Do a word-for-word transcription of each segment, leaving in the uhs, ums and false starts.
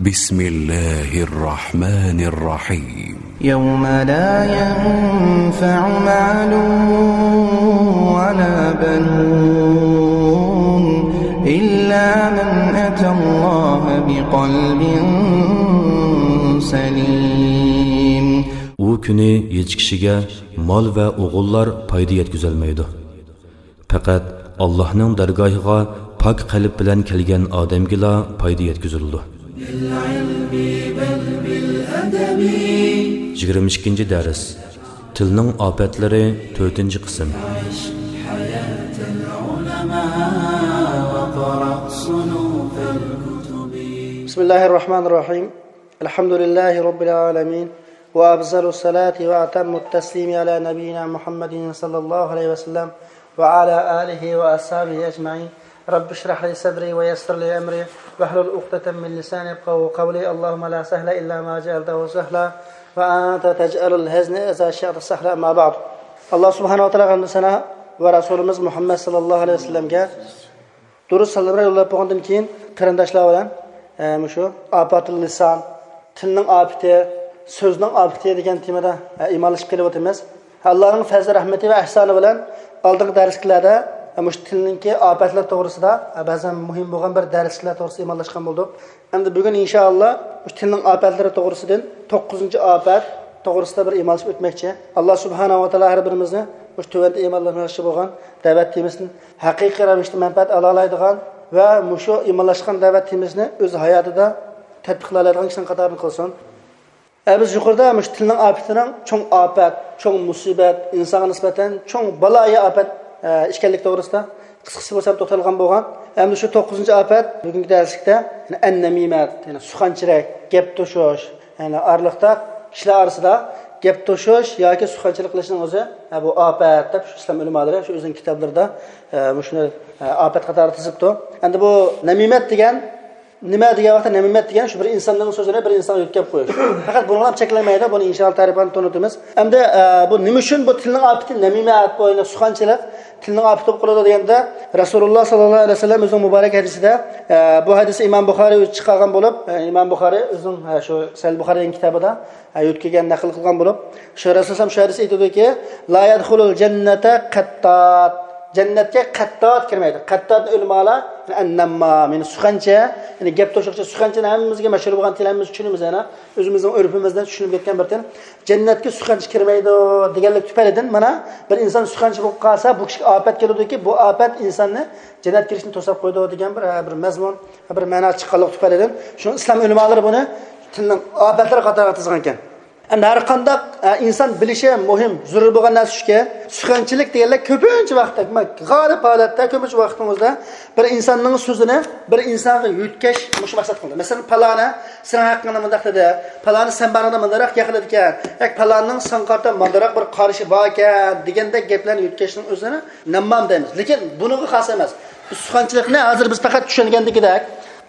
بسم الله الرحمن الرحيم. يوم لا ينفع مال ولا بنون إلا من أتى الله بقلب سليم. ئۇ كۈنى ھېچ كىشىگە مال ۋە ئوغۇللار پايدا يەتكۈزەلمەيدۇ. پەقەت ئاللاھنىڭ دەرگاھىغا پاك قەلب بىلەن كەلگەن ئادەمگىلا پايدا يەتكۈزۈلىدۇ. يىگىرمە ئىككىنچى دەرس. تىلنىڭ ئاپەتلىرى، تۆتىنچى قىسىم. بسم الله الرحمن الرحيم. الحمد لله رب العالمين، وأفضل الصلاة وأتم التسليم على نبينا محمد صلى الله عليه وسلم وعلى آله وأصحابه أجمعين. رب اشرح لي صدري ويسر لي أمري واحلل عقدة من لساني يفقهوا قولي. اللهم لا سهل إلا ما جعلته سهلا وأنت تجعل الحزن إذا شئت سهلا. أما بعد. ئاللا سۇبھانەھۇ ۋە تائالاغا ھەمدۇ سانا ۋە رەسۇلىمىز مۇھەممەد ساللاللاھۇ ئەلەيھى ۋەسەللەمگە دۇرۇت سالاملار يوللاپ بولغاندىن كېيىن، قېرىنداشلار بىلەن، ئە، مۇشۇ ئاپاتۇل لىسان، تىلنىڭ ئاپىتى، سۆزنىڭ ئاپىتى دېگەن تېمىدا، ئە، ئىمانلىشىپ كېلىۋاتىمىز. ئاللانىڭ پەزلى رەھمىتى ۋە ئەھسانى بىلەن ئالدىنقى دەرسلىكلەردە، ئە، مۇشۇ تىلنىڭكى ئاپەتلىرى توغرىسىدا، ئە، بەزەن مۇھىم بولغان بىر دەرسلىكلەر توغرىسىدا ئىمانلاشقان بولدۇق. ئەمدى بۈگۈن ئىنشائاللا مۇشۇ تىلنىڭ ئاپەتلىرى توغرىسىدىن توققۇزىنچى ئاپەت توغرىسىدا بىر ئىمانلىشىپ ئۆتمەكچى. ئاللا سۇبھانەھۇ ۋە تائالا ھەر بىرىمىزنى مۇشۇ تۆۋەندە ئىمانلاشماقچى بولغان دەۋەت تېمىسىنى ھەقىقىي رەۋىشتە مەنپەئەت ئالالايدىغان ۋە مۇشۇ ئىمانلاشقان دەۋەت تېمىسىنى ئۆز ھاياتىدا تەتبىقلايدىغان كىشىلەرنىڭ قاتارىدا قىلسۇن. ئە، بىز يۇقىرىدا مۇشۇ تىلنىڭ ئاپىتىنىڭ چوڭ ئاپەت، چوڭ مۇسىبەت، ئىنسانغا نىسبەتەن چوڭ بالايىئاپەت، ئە، ئىكەنلىكى توغرىسىدا قىسقىچە بولسا توختالغان بولغان. ئەمدى شۇ توققۇزىنچى ئاپەت بۈگۈنكى دەرسلىكتە، يەنى ئەن-نەمىمەت، يەنى سۇخەنچىلىك، گەپ توشۇش، يەنى ئارىلىقتا كىشىلەر ئارىسىدا گەپ توشۇش ياكى سۇخەنچىلىك قىلىشنىڭ ئۆزى، ئە، بۇ ئاپەت دەپ شۇ ئىسلام ئۆلىمالىرى شۇ ئۆزىنىڭ كىتابلىرىدا، ئە، مۇشۇنى، ئە، ئاپەت قاتارىدا تىزىپتۇ. ئەمدى بۇ نەمىمەت دېگەن نېمە دېگەن ۋاقىتتا، نەمىمەت دېگەن شۇ بىر ئىنساننىڭ سۆزىنى بىر ئىنسانغا يۆتكەپ قويۇش. پەقەت بۇنىڭ بىلەن چەكلەنمەيدۇ، بۇنى ئىنشائاللا تەرىپىنى تونۇتىمىز. ئەمدى، ئە، بۇ نېمە ئۈچۈن بۇ تىلنىڭ ئاپىتى نەمىمە، بۇ سۇخەنچىلىك تىلنىڭ ئاپىتى بولۇپ قالىدۇ دېگەندە، رەسۇلۇللا ساللاللاھۇ ئەلەيھى ۋەسەللەم ئۆزىنىڭ مۇبارەك ھەدىسىدە، ئە، بۇ ھەدىسنى ئىمام بۇخارى ئۆزى چىقارغان بولۇپ، ئە، ئىمام بۇخارى ئۆزىنىڭ، ئە، شۇ سەھىھ بۇخارى دېگەن كىتابىدا، ئە، يۆتكىگەن، نەقىل قىلغان بولۇپ، شۇ رەسۇلۇللا شۇ ھەدىسنى ئېيتىدۇكى، لا يەدخۇلۇل جەننەتە قەتتات. جەننەتكە قەتتات كىرمەيدۇ. قەتتاتنى ئۆلىمالار، ئەن-نەممام، يەنى سۇخەنچى، يەنى گەپ توشۇقچى، سۇخەنچىنى ھەممىمىزگە مەشھۇر بولغان تىل، ھەممىمىز چۈشىنىمىز، يەنە ئۆزىمىزنىڭ ئۆرپىمىزدە چۈشۈنۈپ كەتكەن بىر تىل. جەننەتكە سۇخەنچى كىرمەيدۇ دېگەنلىك تۈپەيلىدىن، مانا، بىر ئىنسان سۇخەنچى بولۇپ قالسا، بۇ كىشىگە ئاپەت كېلىدۇكى، بۇ ئاپەت ئىنساننى جەننەت كىرىشتىن توساپ قويىدۇ دېگەن بىر، بىر مەزمۇن، بىر مەنا چىققانلىق تۈپەيلىدىن، شۇنى ئىسلام ئۆلىمالىرى بۇنى تىلنىڭ ئاپەتلىرى قاتارىغا تىزغانكەن. ئەمدى ھەر قانداق، ئە، ئىنسان بىلىشى مۇھىم، زۆرۈر بولغان نەرسە شۇكى، سۇخەنچىلىك دېگەنلەر كۆپىنچە ۋاقىتتا، غالىب ھالەتتە كۆپىنچە ۋاقتىمىزدا بىر ئىنساننىڭ سۆزىنى بىر ئىنسانغا يۆتكەش مۇشۇ مەقسەت قىلىدۇ. مەسىلەن، پالانى سېنىڭ ھەققىڭدە مۇنداق دېدى، پالانى سەن بارىڭدا مۇنداقراق گەپ قىلىدىكەن، ياكى پالانىنىڭ ساڭا قارىتا مۇنداقراق بىر قارىشى باركەن دېگەندەك گەپلەرنى يۆتكەشنىڭ ئۆزىنى نەممام دەيمىز. لېكىن بۇنىڭغا خاس ئەمەس. بۇ سۇخەنچىلىكنى ھازىر بىز پەقەت چۈشەنگەندىكىدەك،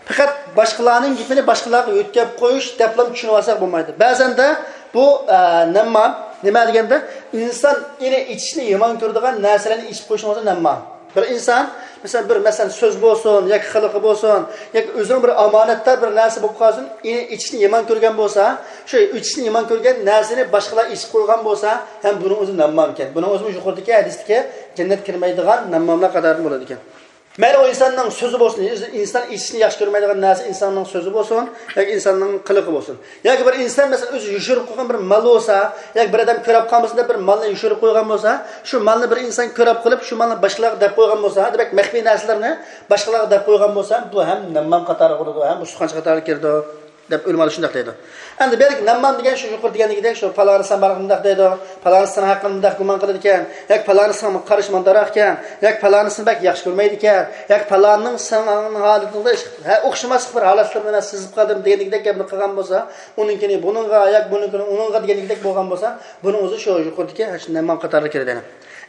پەقەت باشقىلارنىڭ گېپىنى باشقىلارغا يۆتكەپ قويۇش دەپلا چۈشىنىۋالساق بولمايدۇ. بەزەندە بۇ، ئە، نەممام نېمە دېگەندە، ئىنسان ئېنى ئېچىشنى يامان كۆرىدىغان نەرسىلەرنى ئېچىپ قويۇشنىڭ ئۆزى نەممام. بىر ئىنسان، مەسىلەن، بىر، مەسىلەن، سۆز بولسۇن ياكى قىلىقى بولسۇن ياكى ئۆزىنىڭ بىر ئامانەتدار بىر نەرسە بولۇپ قالسۇن، ئېنى ئېچىشنى يامان كۆرگەن بولسا، شۇ ئېچىشنى يامان كۆرگەن نەرسىنى باشقىلار ئېچىپ قويغان بولسا، ھەم بۇنىڭ ئۆزى نەممامكەن. بۇنىڭ ئۆزىمۇ يۇقىرىدىكى ھەدىستىكى جەننەت كىرمەيدىغان نەمماملار قاتارىدىن بولىدىكەن. مەيلى ئۇ ئىنساننىڭ سۆزى بولسۇن، ئىنسان ئېچىشنى ياخشى كۆرمەيدىغان نەرسە ئىنساننىڭ سۆزى بولسۇن ياكى ئىنساننىڭ قىلىقى بولسۇن. ياكى بىر ئىنسان، مەسىلەن، ئۆزى يوشۇرۇپ قويغان بىر مال بولسا، ياكى بىر ئادەم كۆرەپ قالمىسۇن دەپ بىر مالنى يوشۇرۇپ قويغان بولسا، شۇ مالنى بىر ئىنسان كۆرەپ قېلىپ، شۇ مالنى باشقىلارغا دەپ قويغان بولسا، دېمەك، مەخپىي نەرسىلەرنى باشقىلارغا دەپ قويغان بولسا، بۇ ھەم نەممام قاتارىغا كىرىدۇ، ھەم بۇ سۇخەنچى قاتارىغا كىرىدۇ. دەپ ئۆلىمالار شۇنداق دەيدۇ. ئەمدى بۇ يەردىكى نەممام دېگەن شۇ يۇقىرىدا دېگەندىكىدەك، شۇ پالانى سەن بارغىندا مۇنداق دەيدۇ، پالانى سېنىڭ ھەققىڭدە مۇنداق گۇمان قىلىدىكەن، ياكى پالانى سېنىڭ قارىشى مانداقراق ئىكەن، ياكى پالانىسىنى بەك ياخشى كۆرمەيدىكەن، ياكى پالانىنىڭ سېنىڭ ھالىتىڭدە ھە، ئوخشىماسلىق بىر ھالەتلىرىنى مەن سېزىپ قالدىم دېگەندىكىدەك گەپنى قىلغان بولسا، ئۇنىڭكىنى بۇنىڭغا، ياكى بۇنىڭكىنى ئۇنىڭغا دېگەندىكىدەك بولغان بولسا، بۇنىڭ ئۆزى شۇ يۇقىرىدىكى شۇ نەممام قاتارىغا كىرىدۇ.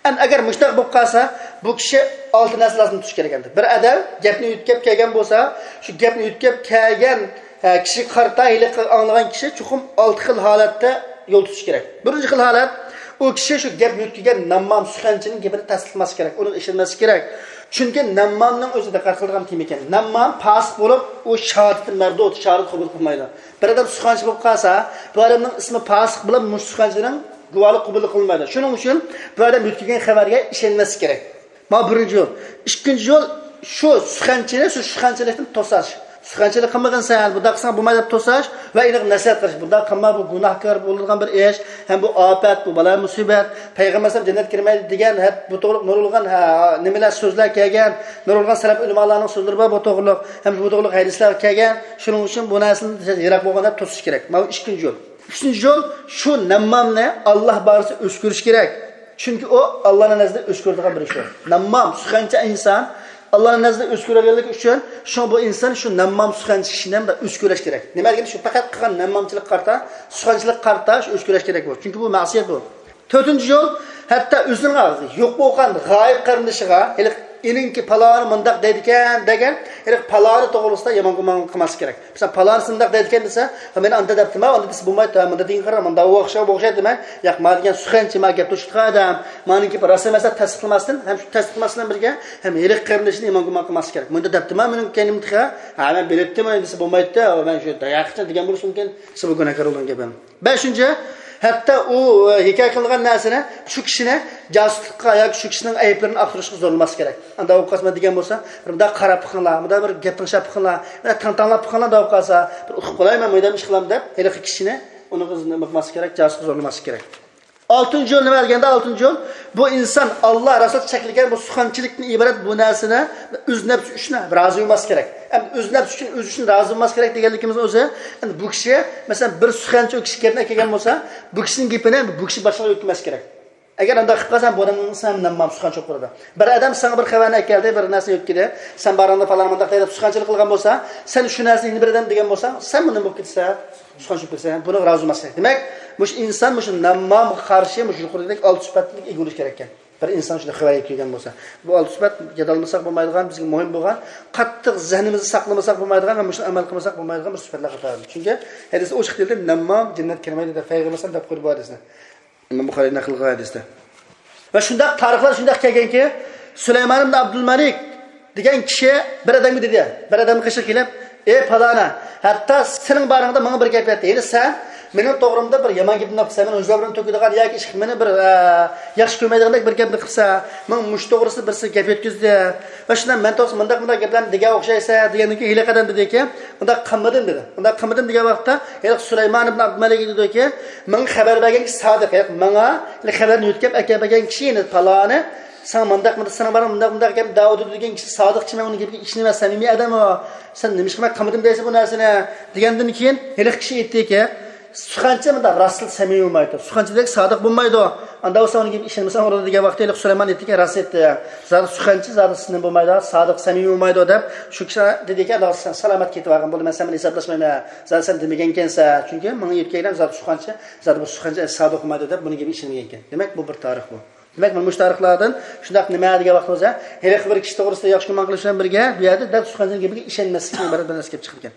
ئەمدى ئەگەر مۇشۇنداق بولۇپ قالسا، بۇ كىشى ئالتە نەرسە لازىم تۇتۇشى كېرەك ئەمدى. بىر ئادەم گەپنى يۆتكەپ كەلگەن بولسا، شۇ گەپنى يۆتكەپ كەلگەن، ئە، كىشىگە قارىتا ھېلىقى ئاڭلىغان كىشى چوقۇم ئالتە خىل ھالەتتە يول تۇتۇشى كېرەك. بىرىنچى خىل ھالەت، ئۇ كىشى شۇ گەپ يۆتكىگەن نەممام سۇخەنچىنىڭ گېپىنى تەستىقلىماسلىقى كېرەك، ئۇنىڭغا ئىشەنمەسلىكى كېرەك. چۈنكى نەممامنىڭ ئۆزى دىققەت قىلىدىغان تېما ئىكەن. نەممام پاسىق بولۇپ، ئۇ شاھادىتى مەردۇد، شاھادەت قوبۇل قىلمايدۇ. بىر ئادەم سۇخەنچى بولۇپ قالسا، بۇ ئادەمنىڭ ئىسمى پاسىق بولۇپ، مۇشۇ سۇخەنچىنىڭ گۇۋاھلىقى قوبۇل قىلمايدۇ. شۇنىڭ ئۈچۈن بۇ ئادەم يۆتكىگەن خەۋەرگە ئىشەنمەسلىكى كېرەك. مانا بىرىنچى يول. ئىككىنچى يول، شۇ سۇخەنچىنى شۇ سۇخەنچىلىكتىن توساش. سۇخەنچىلىك قىلمىغىن سەن، بۇنداق قىلساڭ بولمايدۇ دەپ توساش ۋە ئېنىق نەسىھەت قىلىش. بۇنداق قىلما، بۇ گۇناھكار بولىدىغان بىر ئىش، ھەم بۇ ئاپەت، بۇ بالا مۇسىبەت، پەيغەمبەر ئەلەيھىسسالام جەننەتكە كىرمەيدۇ دېگەن، ھە، بۇ توغرىلىق نۇرغۇنلىغان، ھە، نېمىلەر، سۆزلەر كەلگەن، نۇرغۇنلىغان سەلەف ئۆلىمالارنىڭ سۆزلىرى بار بۇ توغرىلىق، ھەم بۇ توغرىلىق ھەدىسلەر كەلگەن. شۇنىڭ ئۈچۈن بۇ نەرسىدىن يىراق بولغىن دەپ توسۇش كېرەك. مانا بۇ ئىككىنچى يول. ئۈچىنچى يول، شۇ نەممامنى ئاللا بارىسى ئۆچ كۆرۈش كېرەك. چۈنكى ئۇ ئاللانىڭ نەزىرىدە ئۆچ كۆرىدىغان بىر ئىش ئۇ. نەممام، سۇخەنچى ئىنسان ئاللانىڭ نەزىرىدە ئۆچ كۆرەلىگەنلىكى ئۈچۈن، شۇڭا بۇ ئىنسان شۇ نەممام، سۇخەنچى كىشىنى ھەم ئۆچ كۆرۈش كېرەك. نېمە دېگەندە، شۇ پەقەت قىلغان نەممامچىلىققا قارىتا، سۇخەنچىلىككە قارىتا شۇ ئۆچ كۆرۈش كېرەك بۇ. چۈنكى بۇ مەسىيەت بۇ. تۆتىنچى يول، ھەتتا ئۆزىنىڭ يوق بولغان غايىب قېرىندىشىغا، ھېلىقى ئېنىڭكى پالانى مۇنداق دەيدىكەن دېگەن، ھېلىقى پالانى توغرىسىدا يامان گۇمان قىلماسلىق كېرەك. مەسىلەن، پالانىسى مۇنداق دەيدىكەن دېسە، مەن ئاندا دەپتىما، ئاندا دېسە بولمايدۇ، مۇندا دېگەن قارا، مۇندا ئوخشاش، ئوخشايدۇ دېمەي، ياق، ما دېگەن سۇخەنچى، ما گەپ توشۇتقان ئادەم، مانىڭكى بىر راست ئەمەس دەپ تەستىقلىماستىن، ھەم شۇ تەستىقلىماسلىق بىلەن بىرگە، ھەم ھېلىقى قېرىندىشىنى يامان گۇمان قىلماسلىق كېرەك. مۇندا دەپتىما مېنىڭ كەينىمدە تېخى، ھە، مەن بىلەتتىم دېسە بولمايدۇ، مەن شۇ دەيەقچە دېگەن بولۇشى مۇمكىن، دېسە بۇ گۇناھكار بولغان گەپ. بەشىنچى، ھەتتا ئۇ، ئە، ھېكايە قىلغان نەرسىنى شۇ كىشىنى جاسۇسلۇققا ياكى شۇ كىشىنىڭ ئەيىبلىرىنى ئاختۇرۇشقا زورلىماسلىق كېرەك. ئاندا ئۇ قاسما دېگەن بولسا، بىر مۇنداق قاراپ بېقىڭلار، مۇنداق بىر گەپ تىڭشاپ بېقىڭلار، مانا تىڭ-تىڭلاپ بېقىڭلار دەپ قالسا، بىر ئۇقۇپ قالاي، مەن مۇنداق ئىش قىلام دەپ، ھېلىقى كىشىنى ئۇنىڭغا نېمە قىلماسلىق كېرەك، جاسۇسقا زورلىماسلىق كېرەك. ئالتىنچى يول نېمە دېگەندە، ئالتىنچى يول، بۇ ئىنسان ئاللا رەسۇل چەكلىگەن بۇ سۇخەنچىلىكتىن ئىبارەت بۇ نەرسىنى ئۆز نەپسى ئۈچۈن رازى بولماسلىق كېرەك. ئەمدى ئۆز نەپسى ئۈچۈن، ئۆزى ئۈچۈن رازى بولماسلىق كېرەك دېگەنلىكىمىز ئۆزى، ئەمدى بۇ كىشى، مەسىلەن، بىر سۇخەنچى ئۇ كىشى گەپنى ئەكەلگەن بولسا، بۇ كىشىنىڭ گېپىنى بۇ كىشى باشقىلارغا يۆتكىمەسلىك كېرەك. ئەگەر ئۇنداق قىلىپ قالسا، بۇ ئادەمنىڭ ئىسمى نەممام، سۇخەنچى بولۇپ قالىدۇ. بىر ئادەم ساڭا بىر خەۋەرنى ئەكەلدى، بىر نەرسە يۆتكىدى، سەن بارىڭدا پالان مۇنداق دەيدۇ، سۇخەنچىلىك قىلغان بولسا، سەن شۇ نەرسىنى يەنە بىر ئادەم دېگەن بولساڭ، سەن بۇنى بولۇپ كېتىسەن، سۇخەنچى بولۇپ كېتىسەن، بۇنىڭغا رازى بولماسلىق كېرەك. دېمەك، مۇشۇ ئىنسان مۇشۇ نەممامغا قارشى مۇشۇ يۇقىرىدىكى ئالتە سۈپەتلىك ئىگە بولۇشى كېرەككەن. بىر ئىنسان شۇنداق خەۋەر يەتكۈزگەن بولسا، بۇ ئالتە سۈپەت يادالمىساق بولمايدىغان، بىزگە مۇھىم بولغان، قاتتىق زېھنىمىزنى ساقلىمىساق بولمايدىغان ۋە مۇشۇنى ئەمەل قىلمىساق بولمايدىغان بىر سۈپەتلەر قاتارىدىن. چۈنكى ھەدىستە ئوچۇق دېيىلدى، نەممام جەننەتكە كىرمەيدۇ دەپ پەيغەمبەر دەپ قويدى بۇ ھەدىسنى. ئىمام بۇخارى نەقىل قىلغان ھەدىستە. ۋە شۇنداق تارىخلار شۇنداق كەلگەنكى، سۇلايمان ئىبن ئابدۇلمەلىك دېگەن كىشى بىر ئادەمگە دېدى، بىر ئادەمنىڭ قېشىغا كېلىپ، ئەي پالانا، ھەتتا سېنىڭ بارىڭدا ماڭا بىر گەپ ئېيتتى. ھېلى سەن مېنىڭ توغرامدا بىر يامان گەپنى قىلىپسەن، مېنىڭ زۆرۈرۈمنى تۆكىدىغان ياكى ئىش، مېنى بىر، ئە، ياخشى كۆرمەيدىغاندەك بىر گەپنى قىلىپسەن. ماڭا مۇشۇ توغرىسىدا بىرسى گەپ يەتكۈزدى. ۋە شۇنداق مەن توغرىسىدا مۇنداق، مۇنداق گەپلەرنى دېگەن ئوخشايسەن دېگەندىن كېيىن ھېلىقى ئادەم دېدىكى، ئۇنداق قىلمىدىم دېدى. ئۇنداق قىلمىدىم دېگەن ۋاقىتتا ھېلىقى سۇلايمان ئىبن ئابدۇمەلىك دېدىكى، ماڭا خەۋەر بەرگەن كىشى سادىق، ھېلىقى ماڭا ھېلىقى خەۋەرنى يۆتكەپ ئەكەپ بەرگەن كىشى، يەنى پالانى، ساڭا مۇنداق، مۇنداق، سېنىڭ بارىڭ مۇنداق، مۇنداق گەپ دەۋاتىدۇ دېگەن كىشى سادىق كىشى، مەن ئۇنىڭ گېپىگە ئىشىنىمەن، سەمىمىي ئادەم ئۇ. سەن نېمىشقا ماڭا قىلمىدىم دەيسەن بۇ نەرسىنى؟ دېگەندىن كېيىن ھېلىقى كىشى ئېيتتىكى، سۇخەنچى مۇنداق راستلا سەمىمىي بولمايدۇ. سۇخەنچىدەك سادىق بولمايدۇ. ئاندا بولسا ئۇنىڭ گېپىگە ئىشەنمىسەڭ بولىدۇ دېگەن ۋاقىتتا ھېلىقى سۇلايمان ئېيتتىكى، راست ئېيتتى. زادى سۇخەنچى زادى سەمىمىي بولمايدۇ، سادىق سەمىمىي بولمايدۇ دەپ شۇ كىشى دېدىكى، ئاندا سەن سالامەت كېتىۋالغىن، بولدى، مەن سەن بىلەن ھېسابلاشمايمەن. زادى سەن دېمىگەنكەنسەن. چۈنكى ماڭا يۆتكەيلەم زادى سۇخەنچى، زادى بۇ سۇخەنچى سادىق بولمايدۇ دەپ بۇنىڭ گېپىگە ئىشەنمىگەنكەن. دېمەك، بۇ بىر تارىخ بۇ. دېمەك، مانا مۇشۇ تارىخلاردىن شۇنداق نېمە دېگەن ۋاقتىمىزدا، ھېلىقى بىر كىشى توغرىسىدا ياخشى گۇمان قىلىش بىلەن بىرگە، بۇ يەردە دەل سۇخەنچىنىڭ گېپىگە ئىشەنمەسلىكنىڭ ئىبارەت بىر نەرسە كېلىپ چىقىدىكەن.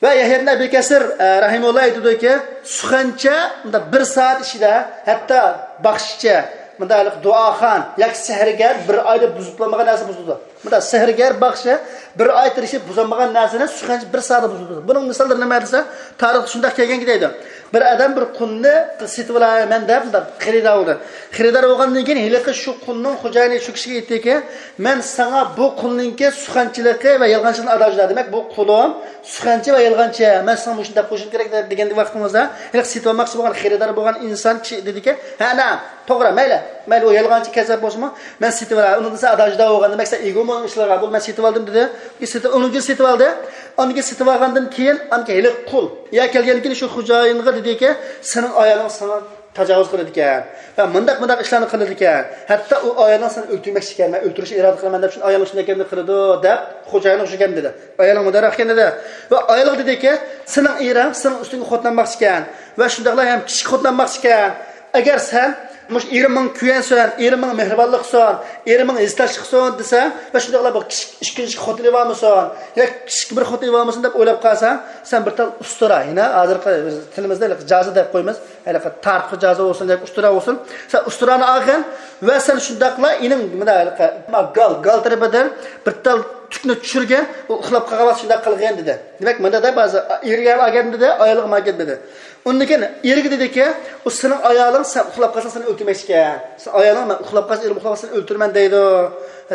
ۋە يەھيا ئىبن ئەبى كەسىر، ئە، رەھىمۇللا ئېيتىدۇكى، سۇخەنچە مۇنداق بىر سائەت ئىچىدە، ھەتتا باخشىچە، مۇنداق ھېلىقى دۇئاخان ياكى سېھىرگەر بىر ئايدا بۇزۇپ بولمىغان نەرسە بۇزىدۇ. مۇنداق سېھىرگەر باخشى بىر ئاي تىرىشىپ بۇزالمىغان نەرسىنى سۇخەنچە بىر سائەتتە بۇزىدۇ. بۇنىڭ مىساللىرى نېمە دېسە، تارىختا شۇنداق كەلگەنكى دەيدۇ. بىر ئادەم بىر قۇلنى سېتىۋالايمەن دەپ، مۇنداق خېرىدار بولدى. خېرىدار بولغاندىن كېيىن ھېلىقى شۇ قۇلنىڭ خوجايىنى شۇ كىشىگە ئېيتتىكى، مەن ساڭا بۇ قۇلنىڭكى سۇخەنچىلىكى ۋە يالغانچىلىقىنى ئادا جۇدا. دېمەك، بۇ قۇلۇم سۇخەنچى ۋە يالغانچى. مەن ساڭا مۇشۇنداق قوشۇم كېرەك دېگەن ۋاقتىمىزدا، ھېلىقى سېتىۋالماقچى بولغان خېرىدار بولغان ئىنسان كىشى دېدىكى، ھە، نە، توغرا، مەيلى. مەيلى، ئۇ يالغانچى، كەززاپ بولسىمۇ، مەن سېتىۋالاي. ئۇنىڭدىن سەن ئادا جۇدا بولغان، دېمەك، سەن ئىگە بولمىغان ئىشلارغا، بولدى، مەن سېتىۋالدىم دېدى. سېتىپ، ئۇنىڭدىن سېتىۋالدى. ئاندىن كېيىن سېتىۋالغاندىن كېيىن، ئاندىن كېيىن ھېلىقى قۇل يا كەلگەندىن كېيىن شۇ خوجايىنغا دېدىكى، سېنىڭ ئايالىڭ ساڭا تاجاۋۇز قىلىدىكەن. ۋە مۇنداق، مۇنداق ئىشلارنى قىلىدىكەن. ھەتتا ئۇ ئايالىڭ سېنى ئۆلتۈرمەكچىكەن، مەن ئۆلتۈرۈشنى ئىرادە قىلىمەن دەپ، شۇ ئايالىڭ شۇنداق گەپنى قىلىدۇ دەپ، خوجايىنغا شۇ گەپنى دېدى. ئايالىڭ مۇنداق ئىكەن دېدى. ۋە ئايالىغا دېدىكى، سېنىڭ ئېرىڭ سېنىڭ ئۈستۈڭگە خوتۇنلانماقچىكەن. ۋە شۇنداقلا ھەم كىچىك خوتۇنلانماقچىكەن. ئەگەر سەن مۇشۇ ئېرىم ماڭا كۆيەنسۇن، ئېرىم ماڭا مېھرىبانلىق قىلسۇن، ئېرىم ماڭا ھېسداشلىق قىلسۇن دېسە، ۋە شۇنداقلا بۇ كىچىك ئىككىنچى خوتۇنى بارمىسۇن ياكى كىچىك بىر خوتۇنى بارمىسۇن دەپ ئويلاپ قالساڭ، سەن بىر تال ئۇستۇرا، يەنە ھازىرقى تىلىمىزدا ھېلىقى جازا دەپ قويىمىز، ھېلىقى تارتقۇ جازا بولسۇن ياكى ئۇستۇرا بولسۇن، سەن ئۇستۇرانى ئالغىن ۋە سەن شۇنداقلا ئېنىڭ مۇنداق ھېلىقى گال، گال تەرىپىدىن بىر تال تۈكنى چۈشۈرگىن، ئۇ ئۇخلاپ قالغان ۋاقتى شۇنداق قىلغىن دېدى. دېمەك، مۇنداق دەپ ھازىر ئېرىگە ئاگەندىدى، ئايالىغا ماگەندىدى. ئۇندىن كېيىن ئېرىگە دېدىكى، ئۇ سېنىڭ ئايالىڭ سەن ئۇخلاپ قالساڭ سېنى ئۆلتۈرمەكچىكەن. سېنىڭ ئايالىڭ مەن ئۇخلاپ قالسا، ئېرىم ئۇخلاپ قالسا سېنى ئۆلتۈرىمەن دەيدۇ.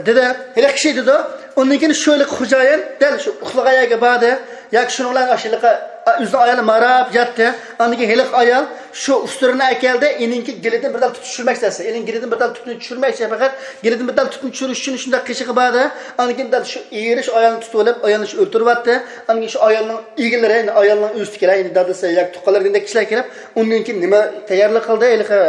دېدى. ھېلىقى كىشى دېدى. ئۇندىن كېيىن شۇ ھېلىقى خوجايىن دەل شۇ ئۇخلىغان يەرگە باردى. ياكى شۇنىڭ بىلەن ئاشۇ ھېلىقى، ئا، ئۆزىنىڭ ئايالى ماراپ ياتتى. ئاندىن كېيىن ھېلىقى ئايال شۇ ئۇستۇرىنى ئەكەلدى. ئېنىڭكى گېلىدىن بىر تال تۈتۈن چۈشۈرمەكچى دەسە. ئېنىڭ گېلىدىن بىر تال تۈتۈن چۈشۈرمەكچى پەقەت. گېلىدىن بىر تال تۈتۈن چۈشۈرۈش ئۈچۈن شۇنداق قېشىغا باردى. ئاندىن كېيىن دەل شۇ ئېرى شۇ ئايالنى تۇتۇۋېلىپ، ئايالنى شۇ ئۆلتۈرۈۋەتتى. ئاندىن كېيىن شۇ ئايالنىڭ ئىگىلىرى، يەنى ئايالنىڭ ئۆزىدىكىلەر، يەنى دادىسى ياكى تۇغقانلىرى دېگەندەك كىشىلەر كېلىپ، ئۇندىن كېيىن نېمە تەييارلىق قىلدى؟ ھېلىقى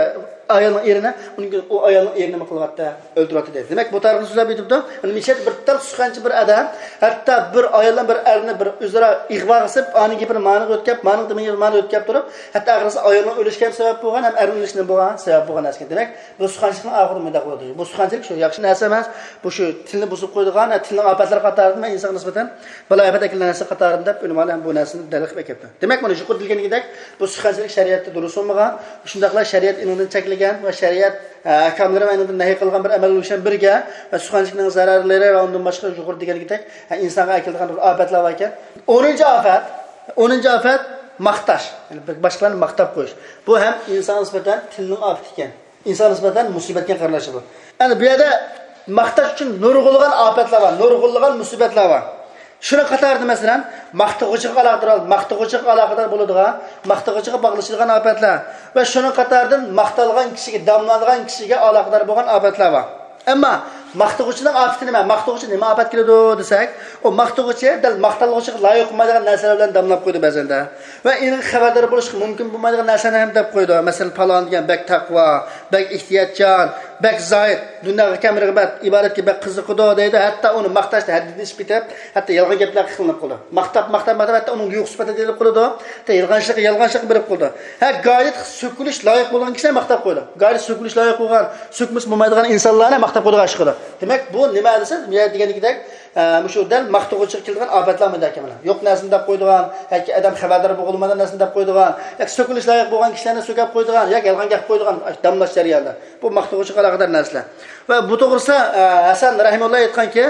ئايالنىڭ ئېرىنى، ئۇنىڭ كېيىن ئۇ ئايالنىڭ ئېرىنى نېمە قىلىۋەتتى؟ ئۆلتۈرۈۋەتتى دەيدۇ. دېمەك، بۇ تارىخنى سۆزلەپ ئۆتۈپتۇ. مۇشۇ يەردە بىر تال سۇخەنچى بىر ئادەم، ھەتتا بىر ئايال بىلەن بىر ئەرنى بىر ئۆزئارا ئىغۋاغا سېلىپ، ئانىڭ گېپىنى مانىڭغا ئۆتكەپ، مانىڭ دېمىگىنى مانىڭغا ئۆتكەپ تۇرۇپ، ھەتتا ئاخىرسى ئايالنىڭ ئۆلۈشىگە ھەم سەۋەب بولغان، ھەم ئەرنىڭ ئۆلۈشىگە نېمە بولغان؟ سەۋەب بولغان نەرسە ئىكەن. دېمەك، بۇ سۇخەنچىلىكنىڭ ئاخىرى مۇنداق بولىدۇ. بۇ سۇخەنچىلىك شۇ ياخشى نەرسە ئەمەس. بۇ شۇ تىلنى بۇزۇپ قويىدىغان، ھە، تىلنىڭ ئاپەتلىرى قاتارىدىن ۋە ئىنسانغا نىسبەتەن بالايىئاپەت ئەكېلىدىغان نەرسە قاتارىدىن دەپ ئۆلىمالار ھەم بۇ نەرسىنى دەلىل قىلىپ ئەكەپتۇ. دېمەك، مانا يۇقىرىدا دېگىنىدەك، بۇ سۇخەنچىلىك شەرىئەتتە دۇرۇس بولمىغان، شۇنداقلا شەرىئەت ئېنىڭدىن چەكلىگەن ۋە شەرىئەت، ھە، ئەھكاملىرى ۋە ئېنىڭدىن نەھى قىلغان بىر ئەمەل بولۇشى بىلەن بىرگە، ۋە سۇخەنچىلىكنىڭ زەرەرلىرى ۋە ئۇندىن باشقا يۇقىرىدا دېگەنىدەك، ھە، ئىنسانغا ئەكېلىدىغان بىر ئاپەتلەر باركەن. ئونىنچى ئاپەت، ئونىنچى ئاپەت ماختاش، يەنى باشقىلارنى ماختاپ قويۇش. بۇ ھەم ئىنسانغا نىسبەتەن تىلنىڭ ئاپىتى ئىكەن. ئىنسانغا نىسبەتەن مۇسىبەتكە قارىلىشى بۇ. ئەنە بۇ يەردە ماختاش ئۈچۈن نۇرغۇنلىغان ئاپەتلەر بار، نۇرغۇنلىغان مۇسىبەتلەر بار. شۇنىڭ قاتارىدا، مەسىلەن، ماختىغۇچىغا ئالاقىدار، ماختىغۇچىغا ئالاقىدار بولىدىغان، ماختىغۇچىغا باغلىشىدىغان ئاپەتلەر ۋە شۇنىڭ قاتارىدىن ماختالغان كىشىگە، داملانغان كىشىگە ئالاقىدار بولغان ئاپەتلەر بار. ئەمما ماختىغۇچىنىڭ ئاپىتى نېمە؟ ماختىغۇچى نېمە ئاپەت كېلىدۇ دېسەك، ئۇ ماختىغۇچى دەل ماختالغۇچىغا لايىق بولمايدىغان نەرسىلەر بىلەن داملاپ قويىدۇ بەزەندە. ۋە ئېنىق خەۋەردار بولۇشقا مۇمكىن بولمايدىغان نەرسىلەرنى ھەم دەپ قويىدۇ. مەسىلەن، پالان دېگەن بەك تەقۋا، بەك ئېھتىياتچان، بەك زاھىد، دۇنياغا كەم رىغبەت، ئىبادەتكە بەك قىزىقىدۇ دەيدۇ. ھەتتا ئۇنى ماختاشتا ھەددىدىن ئېشىپ كېتىپ، ھەتتا يالغان گەپلەرگە قىلىنىپ قالىدۇ. ماختاپ، ماختاپ، ماختاپ، ھەتتا ئۇنىڭ يۇقىسى پەتە دېيىلىپ قالىدۇ. ھەتتا يالغانچىلىققا، يالغانچىلىققا بېرىپ قالىدۇ. ھە، غايەت سۆكۈلۈش لايىق بولغان كىشىلەر ماختاپ قويىدۇ. غايەت سۆكۈلۈش لايىق بولغان، سۆكمىسە بولمايدىغان ئىنسانلارنى ماختاپ قويىدىغان ئىش قىلىدۇ. دېمەك، بۇ نېمە دېسە، مۇ يەردە دېگەندەك، ئە، مۇشۇ دەل ماختىغۇچىغا كېلىدىغان ئاپەتلەر مۇنداق كېمىنە. يوق نەرسىنى دەپ قويىدىغان ياكى ئادەم خەۋەردار بولغىلى بولمىغان نەرسىنى دەپ قويىدىغان ياكى سۆكۈلۈش لايىق بولغان كىشىلەرنى سۆكەپ قويىدىغان ياكى يالغان گەپ قويىدىغان داملاش جەريانىدا. بۇ ماختىغۇچىغا ئالاقىدار نەرسىلەر. ۋە بۇ توغرىسىدا، ئە، ھەسەن رەھىمۇللا ئېيتقانكى،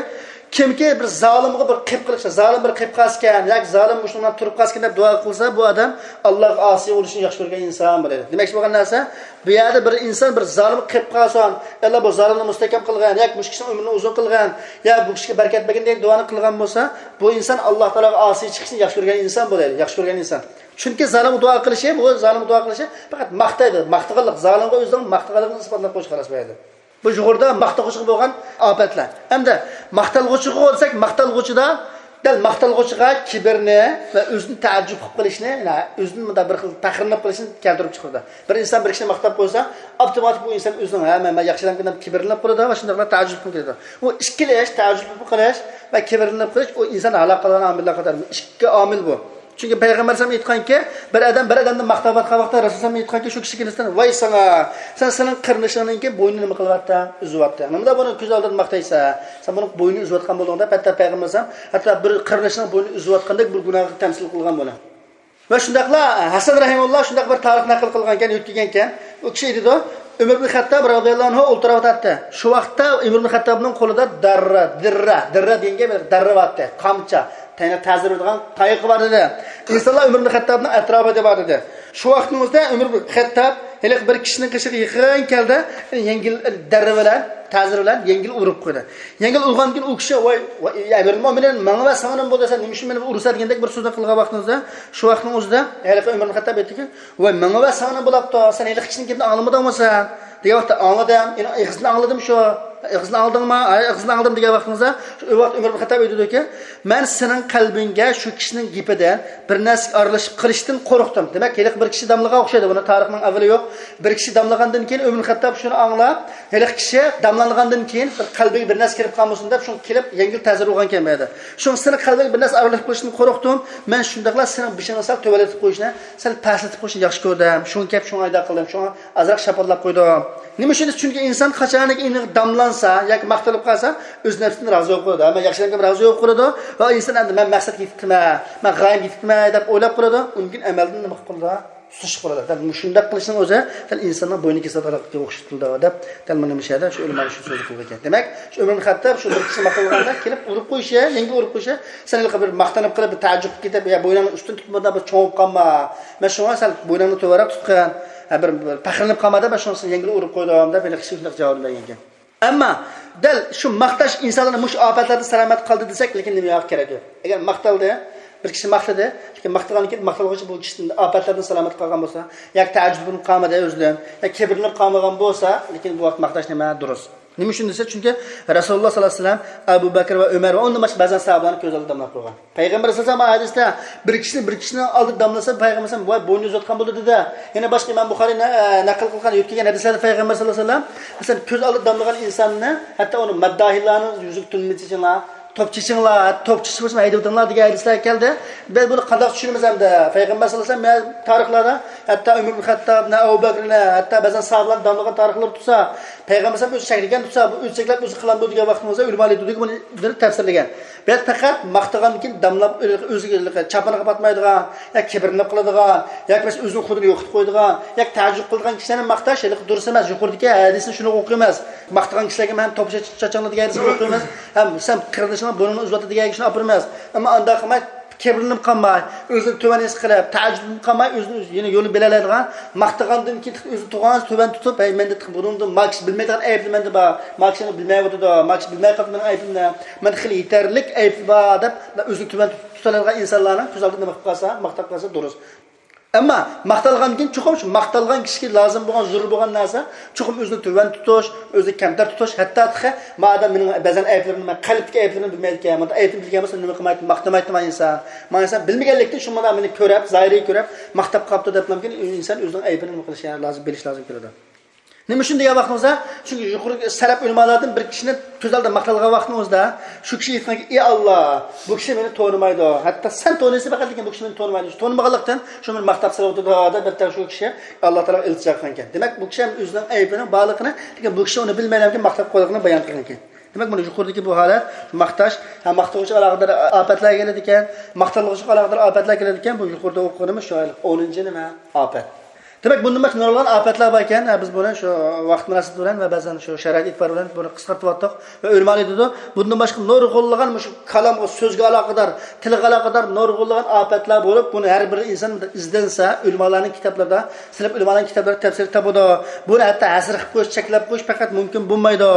كىمكى بىر زالىمغا بىر قېپ قىلىپ، زالىم بىر قېپ قالسىكەن ياكى زالىم مۇشۇنىڭ بىلەن تۇرۇپ قالسىكەن دەپ دۇئا قىلسا، بۇ ئادەم ئاللاغا ئاسىي بولۇشنى ياخشى كۆرگەن ئىنسان بولىدۇ. دېمەكچى بولغان نەرسە، بۇ يەردە بىر ئىنسان بىر زالىمغا قېپ قالسۇن، ئاللا بۇ زالىمنى مۇستەھكەم قىلغىن ياكى مۇشۇ كىشىنىڭ ئۆمرىنى ئۇزۇن قىلغىن يا بۇ كىشىگە بەرىكەت بەرگىن دېگەن دۇئانى قىلغان بولسا، بۇ ئىنسان ئاللا تائالاغا ئاسىي چىقىشنى ياخشى كۆرگەن ئىنسان بولىدۇ، ياخشى كۆرگەن ئىنسان. چۈنكى زالىمغا دۇئا قىلىشى، بۇ زالىمغا دۇئا قىلىشى پەقەت ماختايدۇ، ماختىغانلىق، زالىمغا ئۆزىنىڭ ماختىغانلىقىنى ئىسپاتلاپ قويۇش، خالاس، بۇ يەردە. بۇ يۇقىرىدا ماختىغۇچىغا بولغان ئاپەتلەر. ئەمدى ماختالغۇچىغا دېسەك، ماختالغۇچىدا دەل ماختالغۇچىغا كىبىرنى ۋە ئۆزىنى تەئەججۈپ قىلىپ قېلىشنى، يەنى ئۆزىنى مۇنداق بىر خىل پەخىرلىنىپ قېلىشنى كەلتۈرۈپ چىقىرىدۇ. بىر ئىنسان بىر كىشىنى ماختاپ قويسا، ئاپتوماتىك بۇ ئىنسان ئۆزىنىڭ، ھە، مەن، مەن ياخشى ئادەمكەن دەپ كىبىرلىنىپ قالىدۇ ۋە شۇنداقلا تەئەججۈپ قىلىپ كېلىدۇ. ئۇ ئىككىلىش، تەئەججۈپ قىلىپ قېلىش ۋە كىبىرلىنىپ قېلىش، ئۇ ئىنسان ھالاك قىلغان ئامىللار قاتارىدىن ئىككى ئامىل بۇ. چۈنكى پەيغەمبەر ئەلەيھىسسالام ئېيتقانكى، بىر ئادەم بىر ئادەمنى ماختاۋاتقان ۋاقىتتا رەسۇلۇللا ئېيتقانكى، شۇ كىشىگە نىسبەتەن، ۋاي ساڭا، سەن سېنىڭ قېرىندىشىڭنىڭكى بوينىنى نېمە قىلىۋەتتىڭ؟ ئۈزۈۋەتتىڭ. نېمىدا بۇنى كۆز ئالدىدا ماختايسەن؟ سەن بۇنىڭ بوينىنى ئۈزۈۋەتكەن بولدۇڭ دەپ، ھەتتا پەيغەمبەر ئەلەيھىسسالام ھەتتا بىر قېرىندىشىنىڭ بوينىنى ئۈزۈۋەتكەندەك بىر گۇناھقا تەمسىل قىلغان بۇنى. ۋە شۇنداقلا ھەسەن رەھىمۇللا شۇنداق بىر تارىخ نەقىل قىلغانكەن، ئۆتكۈزگەنكەن، ئۇ كىشى ئېيتىدۇ، ئۆمەر ئىبن خەتتاب رازىياللاھۇ ئەنھۇ ئولتۇرۇۋاتاتتى. شۇ ۋاقىتتا ئۆمەر ئىبن خەتتابنىڭ قولىدا دەررە، دىررە، دىررە دېگەن گەپ، دەررە بارتتى، قامچا، تەينە تەزىر بېرىدىغان تايىقى بار ئىدى. ئىنسانلار ئۆمەر ئىبن خەتتابنىڭ ئەتراپىدا بار ئىدى. شۇ ۋاقىتنىڭ ئۆزىدە ئۆمەر ئىبن خەتتاب ھېلىقى بىر كىشىنىڭ قېشىغا يېقىن كەلدى، يەڭگىل دەررە بىلەن، تەزىر بىلەن يەڭگىل ئۇرۇپ قويدى. يەڭگىل ئۇرغاندىن كېيىن ئۇ كىشى، ۋاي، ۋاي، ئەمىرۇل مۆمىنىن، ماڭا ۋە ساڭا نېمە بولدى، سەن نېمە ئۈچۈن مېنى ئۇرىسەن دېگەندەك بىر سۆزنى قىلغان ۋاقتىڭىزدا، شۇ ۋاقىتنىڭ ئۆزىدە ھېلىقى ئۆمەر ئىبن خەتتاب ئېيتتىكى، ۋاي، ماڭا ۋە ساڭا نېمە بولاپتۇ، سەن ھېلىقى كىشىنىڭ گېپىنى ئاڭلىمىدىڭمۇ سەن؟ دېگەن ۋاقىتتا، ئاڭلىدىم، ئېغىزىنى ئاڭلىدىم شۇ. ئېغىزىنى ئاڭلىدىڭمۇ؟ ھە، ئېغىزىنى ئاڭلىدىم دېگەن ۋاقتىڭىزدا، شۇ ۋاقىت ئۆمەر ئىبن خەتتاب ئېيتىدۇكى، مەن سېنىڭ قەلبىڭگە شۇ كىشىنىڭ گېپىدىن بىر نەرسىگە ئارىلىشىپ قېلىشتىن قورقتۇم. دېمەك، ھېلىقى بىر كىشى داملىغان ئوخشايدۇ، بۇنى تارىخنىڭ ئەۋۋىلى يوق. بىر كىشى داملىغاندىن كېيىن ئۆمەر خەتتاب شۇنى ئاڭلاپ، ھېلىقى كىشى داملانغاندىن كېيىن بىر قەلبىگە بىر نەرسە كىرىپ قالمىسۇن دەپ، شۇڭا كېلىپ يەڭگىل تەزىر ئۇرغانكەن بۇ يەردە. شۇڭا سېنىڭ قەلبىڭگە بىر نەرسە ئارىلىشىپ قېلىشتىن قورقتۇم. مەن شۇنداقلا سېنىڭ بېشىڭنى سەل تۆۋەنلىتىپ قويۇشنى، سەل پەسلىتىپ قويۇشنى ياخشى كۆردۈم. شۇڭا كەپ شۇڭا ئايدا قىلدىم. شۇڭا ئازراق شاپىللاپ قويدۇم. نېمە ئۈچۈن دېسە، چۈنكى ئىنسان قاچانكى داملانسا ياكى ماختىلىپ قالسا، ئۆز نەپسىدىن رازى بولۇپ قالىدۇ. ھەممە ياخشى ئەمەلگە رازى بولۇپ قالىدۇ ۋە ئىنسان ئەمدى مەن مەقسەتكە يېتىپتىمەن، مەن غايەمگە يېتىپتىمەن دەپ ئويلاپ قالىدۇ. ئۇنىڭ كېيىن ئەمەلدىن نېمە قىلىدۇ؟ سۇسلۇق بولىدۇ. دەل مۇشۇنداق قىلىشنىڭ ئۆزى دەل ئىنساننىڭ بوينى كېسىلىدىغانلىققا ئوخشىتىلىدۇ دەپ، دەل مانا مۇشۇ يەردە شۇ ئۆلىمانىڭ شۇ سۆزى قىلىدىكەن. دېمەك، شۇ ئۆمەر ئىبن خەتتاب شۇ بىر كىشى ماختالغاندا كېلىپ ئۇرۇپ قويۇشى، يەڭگىل ئۇرۇپ قويۇشى، سەن ھېلىقى بىر ماختىنىپ قېلىپ، بىر تەئەججۈپ قىلىپ كېتىپ، يا بوينۇڭنى ئۈستۈن تۇتمىدىڭ، بىر چوڭىيىپ قالما، مەن شۇڭا سەل بوينۇڭنى تۆۋەنرەك تۇتقىن، ھە، بىر، بىر پەخىرلىنىپ قالما دەپ، مەن شۇڭا سېنى يەڭگىل ئۇرۇپ قويدۇم دەپ، ھېلىقى كىشى شۇنداق جاۋابنى بەرگەنكەن. ئەمما دەل شۇ ماختاش ئىنسانلارنى مۇشۇ ئاپەتلەردىن سالامەت قىلدى دېسەك، لېكىن نېمە كېرەك يوق. ئەگەر ماختالدى، بىر كىشى ماختىدى، لېكىن ماختىغاندىن كېيىن ماختالغۇچى بۇ كىشىدىن ئاپەتلەردىن سالامەت قالغان بولسا، ياكى تەئەججۈپلىنىپ قالمىدى ئۆزىدىن، ياكى كىبىرلىنىپ قالمىغان بولسا، لېكىن بۇ ۋاقىت ماختاش نېمە؟ دۇرۇس. نېمە ئۈچۈن دېسە، چۈنكى رەسۇلۇللا ساللاللاھۇ ئەلەيھى ۋەسەللەم ئەبۇ بەكىر ۋە ئۆمەر ۋە ئۇندىن باشقا بەزەن ساھابىلارنى كۆز ئالدىدا داملاپ قويغان. پەيغەمبەر ئەلەيھىسسالام ھەدىستە بىر كىشىنى بىر كىشىنىڭ ئالدىدا داملىسا، پەيغەمبەر ئەلەيھىسسالام ۋاي بوينى ئۈزۈۋاتقان بولدى دېدى. يەنە باشقا ئىمام بۇخارىي نە-، ئە، نەقىل قىلغان يۆتكىگەن ھەدىسلەردە پەيغەمبەر ساللاللاھۇ ئەلەيھى ۋەسەللەم، مەسىلەن، كۆز ئالدىدا داملىغان ئىنساننى ھەتتا ئۇنى مەدداھىلارنىڭ يۈزىگە تۈنمە چېچىڭلار، توپ چېچىڭلار، توپ چېچىش بولسىمۇ ھەيدىۋېتىڭلار دېگەن ھەدىسلەر كەلدى. بىز بۇنى قانداق چۈشىنىمىز ئەمدى؟ پەيغەمبەر ساللاللاھۇ ئەلەيھى ۋەسەللەم تارىخلاردا ھەتتا ئۆمەر ئىبن خەتتابنى، ئەبۇ بەكرىنى، ھەتتا بەزەن ساھابىلارنى داملىغان تارىخلار تۇرسا، پەيغەمبەر ئەلەيھىسسالام ئۆزى چەكلىگەن تۇرسا، بۇ ئۆزى چەكلەپ ئۆزى قىلامدۇ دېگەن ۋاقتىمىزدا ئۆلىمالار ئېيتىدۇكى، بۇنى بىر تەپسىرلىگەن. بەس پەقەت ماختىغاندىن كېيىن داملاپ، ئۆزىگە چاپىنىغا پاتمايدىغان، يا كىبىرلىنىپ قالىدىغان، ياكى بولمىسا ئۆزىنىڭ خۇدىنى يوقىتىپ قويىدىغان، ياكى تەئەججۈپ قىلىدىغان كىشىلەرنى ماختاش ھېلىقى دۇرۇس ئەمەس. يۇقىرىدىكى ھەدىسنى شۇنىڭغا ئوقۇيمىز. ماختىغان كىشىلەرگە مەن توپ چېچىڭلار دېگەن ھەدىسنى ئوقۇيمىز. ھەم سەن قېرىندىشىڭنىڭ بۇرنىنى ئۈزۈۋاتىدۇ دېگەن گەپنى ئاپىرىمىز. ئەمما ئانداق قىلماي، كىبىرلىنىپ قالماي، ئۆزىنى تۆۋەن ھېس قىلىپ، تەئەججۈپلىنىپ قالماي، ئۆزىنى يەنە يولىنى بىلەلەيدىغان، ماختىغاندىن كېيىن ئۆزىنى تۇغان تۆۋەن تۇتۇپ، ھەي، مەندە بۇنىڭدىن ماكىش بىلمەيدىغان ئەيىبلىرى مەندە بار، ماكىشنى بىلمەيۋاتىدۇ، ماكىش بىلمەي قاپتۇ مېنىڭ ئەيىبىمنى، مەندە خېلى يېتەرلىك ئەيىبلىرى بار دەپ، ئۆزىنى تۆۋەن تۇتۇپ، تۇتالايدىغان ئىنسانلارنىڭ كۆز ئالدىدا نېمە قىلىپ قالسا، ماختاپ قالسا دۇرۇس. ئەمما ماختالغاندىن كېيىن چوقۇم شۇ ماختالغان كىشىگە لازىم بولغان، زۆرۈر بولغان نەرسە، چوقۇم ئۆزىنى تۆۋەن تۇتۇش، ئۆزىنى كەمتەر تۇتۇش، ھەتتا تېخى ما ئادەم مېنىڭ بەزەن ئەيىبلىرىمنى، مەن قەلبتىكى ئەيىبلىرىمنى بىلمەيدىكەن، مۇنداق ئەيىبنى بىلگەن بولسا نېمە قىلمايتتى، ماختىمايتتى ما ئىنسان. ما ئىنسان بىلمىگەنلىكتىن شۇ مانا مېنى كۆرۈپ، زاھىرىي كۆرۈپ، ماختاپ قاپتۇ دەپلا ئىنسان ئۆزىنىڭ ئەيىبىنى نېمە قىلىشى لازىم، بىلىش لازىم كېلىدۇ. نېمە ئۈچۈن دېگەن ۋاقتىمىزدا، چۈنكى يۇقىرىقى سەلەپ ئۆلىمالاردىن بىر كىشىنى كۆز ئالدىدا ماختالغان ۋاقتىمىزدا، شۇ كىشى ئېيتقانكى، ئى ئاللا، بۇ كىشى مېنى تونۇمايدۇ. ھەتتا سەن تونۇيسەن پەقەت، لېكىن بۇ كىشى مېنى تونۇمايدۇ. شۇ تونۇمىغانلىقتىن شۇ مېنى ماختاپ سېلىۋاتىدۇ دەپ، شۇ كىشى ئاللا تائالاغا ئىلتىجا قىلغانىكەن. دېمەك، بۇ كىشى ھەم ئۆزىنىڭ ئەيىبىنىڭ بارلىقىنى، لېكىن بۇ كىشى ئۇنى بىلمەيدىكەن، ماختاپ قويغانلىقىنى بايان قىلغانىكەن. دېمەك، مانا يۇقىرىدىكى بۇ ھالەت، ماختاش، ھە، ماختىغۇچىغا ئالاقىدار ئاپەتلەر كېلىدىكەن، ماختالغۇچىغا ئالاقىدار ئاپەتلەر كېلىدىكەن، بۇ يۇقىرىدا ئوقۇغىنىمىز شۇ ئونىنچى نېمە؟ ئاپەت. دېمەك، بۇندىن باشقا نۇرغۇنلىغان ئاپەتلەر بار ئىكەن. ھە، بىز بۇنى شۇ ۋاقىت مۇناسىۋىتى بىلەن ۋە بەزەن شۇ شارائىت ئېتىبارى بىلەن بۇنى قىسقارتىۋاتتۇق ۋە ئۆلىمالار ئېيتىدۇ. بۇندىن باشقا نۇرغۇنلىغان مۇشۇ كالامغا، سۆزگە ئالاقىدار، تىلغا ئالاقىدار نۇرغۇنلىغان ئاپەتلەر بولۇپ، بۇنى ھەر بىر ئىنسان ئىزدەنسە، ئۆلىمالارنىڭ كىتابلىرىدا، سەلەپ ئۆلىمالارنىڭ كىتابلىرىدا تەپسىر تاپىدۇ. بۇنى ھەتتا ھەسەر قىلىپ قويۇش، چەكلەپ قويۇش پەقەت مۇمكىن بولمايدۇ.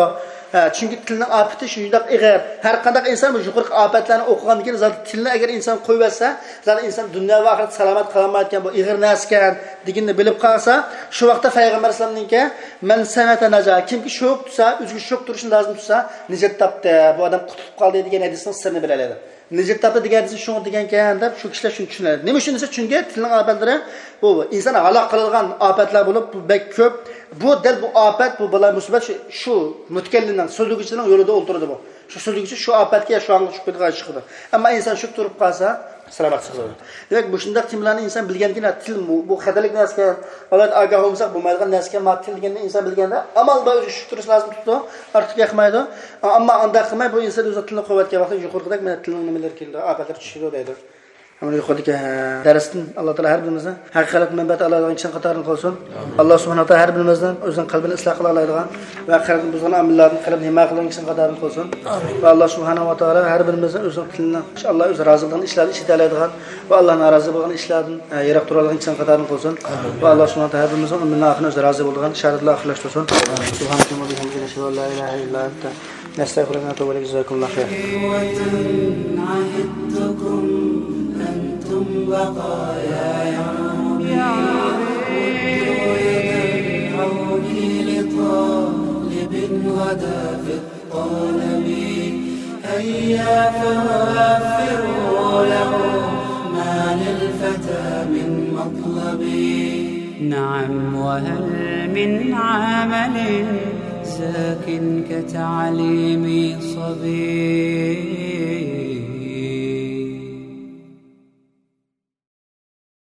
ھە، چۈنكى تىلنىڭ ئاپىتى شۇنداق ئېغىر. ھەر قانداق ئىنسان بۇ يۇقىرىقى ئاپەتلەرنى ئوقۇغاندىن كېيىن، زادى تىلنى ئەگەر ئىنسان قويۇۋەتسە، زادى ئىنسان دۇنيا ۋە ئاخىرەتتە سالامەت قالالمايدىكەن، بۇ ئېغىر نەرسىكەن دېگىنىنى بىلىپ قالسا، شۇ ۋاقىتتا پەيغەمبەر ئەلەيھىسسالامنىڭكى، مەن سەمەتە نەجا، كىمكى شوك تۇتسا، ئۆزىگە شوك تۇرۇشنى لازىم تۇتسا، نىجات تاپتى، بۇ ئادەم قۇتۇلۇپ قالدى دېگەن ھەدىسنىڭ سىرىنى بىلەلەيدۇ. نىجات تاپتى دېگەن ھەدىسى شۇڭا دېگەنكەن دەپ شۇ كىشىلەر شۇنى چۈشىنەلەيدۇ. نېمە ئۈچۈن دېسە، چۈنكى تىلنىڭ ئاپەتلىرى بۇ ئىنسان ھالاك قىلىدىغان ئاپەتلەر بولۇپ، بۇ بەك كۆپ. بۇ دەل بۇ ئاپەت، بۇ بالا مۇسىبەت شۇ، شۇ مۇتەكەللىمنىڭ، سۆزلىگۈچىنىڭ يولىدا ئولتۇرىدۇ بۇ. شۇ سۆزلىگۈچى شۇ ئاپەتكە يا شۇ ئاڭغا چۈشۈپ كېتىدىغان ئىش چىقىدۇ. ئەمما ئىنسان شۇ تۇرۇپ قالسا، سالامەت چىقىدۇ. دېمەك، مۇشۇنداق تېمىلارنى ئىنسان بىلگەندىكىن، تىل بۇ، بۇ خەتەرلىك نەرسىكەن، ئالاھىدە ئاگاھ بولمىساق بولمايدىغان نەرسىكەن، ما تىل دېگەننى ئىنسان بىلگەندە، ئامال بار ئۆزىگە شۈكۈر تۇرۇش لازىم تۇتىدۇ، ئارتۇق ياقمايدۇ. ئەمما ئانداق قىلماي، بۇ ئىنسان ئۆزىنىڭ تىلىنى قويۇۋەتكەن ۋاقتىدا يۇقىرىقىدەك مانا تىلنىڭ نېمىلىرى كېلىدۇ، ئاپەتلەر چۈشىدۇ دەيدۇ. مانا يۇقىرىدىكى، ھە، دەرستىن ئاللا تائالا ھەر بىرىمىزنى ھەقىقەت مەنپەئەت ئالالايدىغان كىشىنىڭ قاتارىدىن قىلسۇن. ئاللا سۇبھانەھۇ ۋە تائالا ھەر بىرىمىزنىڭ ئۆزىنىڭ قەلبىنى ئىسلاھ قىلالايدىغان ۋە قەلبىنى بۇزغان ئامىللاردىن، قەلبىنى ھىمايە قىلىدىغان كىشىنىڭ قاتارىدىن قىلسۇن. ۋە ئاللا سۇبھانەھۇ ۋە تائالا ھەر بىرىمىزنى ئۆزىنىڭ تىلىنى ئاللا ئۆزى رازى بولغان ئىشلارنى ئىشلىتەلەيدىغان ۋە ئاللا نارازى بولغان ئىشلاردىن، ئە، يىراق تۇرالىغان كىشىلەرنىڭ قاتارىدىن قىلسۇن. ۋە ئاللا سۇبھانەھۇ ۋە تائالا ھەر بىرىمىزنىڭ ئۆمرىنىڭ ئاخىرىنى ئۆزى رازى بولىدىغان شاھادەت بىلەن ئاخىرلاشتۇرسۇن. سۇبھانەكەللاھۇممە ۋە بىھەمدىكە، نەشھەدۇ ئەن لا ئىلاھە ئىللا ئەنتە، نەستەغفىرۇكە ۋە نەتۇبۇ ئىلەيك. جازاكۇمۇللاھۇ خەيرا. إخوة عهدتكم أنتم بقايا يا ربي، ردوا يد العون لطالب غدا في الطلب. هيا فوفروا له ما للفتى من مطلب. نعم، وهل من عمل زاك كتعليم صبي؟